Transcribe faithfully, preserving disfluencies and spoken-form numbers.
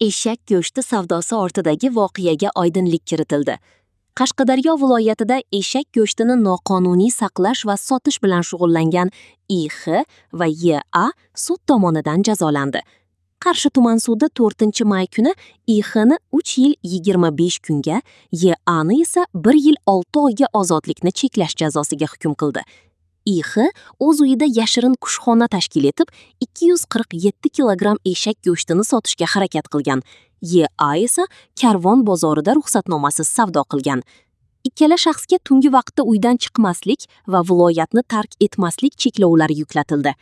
Eshak go'shti savdosi ortidagi voqeaga oydinlik kiritildi. Qashqadaryo viloyatida eshak go'shtini noqonuniy saqlash va sotish bilan shug'ullangan I X va Y A sud tomonidan jazolandi. Qarshi tuman sudi to'rtinchi may kuni I X ni uch yil yigirma besh kunga, Y A ni esa bir yil olti oyga ozodlikni cheklash jazosiga hukm qildi. I X o'z uyida yashirin kushxona tashkil etib, ikki yuz qirq yetti kilogramm eshak go'shtini sotishga harakat qilgan. Y A esa Karvon bozorida ruxsatnomasiz savdo qilgan. Ikkala shaxsga tungi vaqtda uydan chiqmaslik va viloyatni tark etmaslik cheklovlari yuklatildi.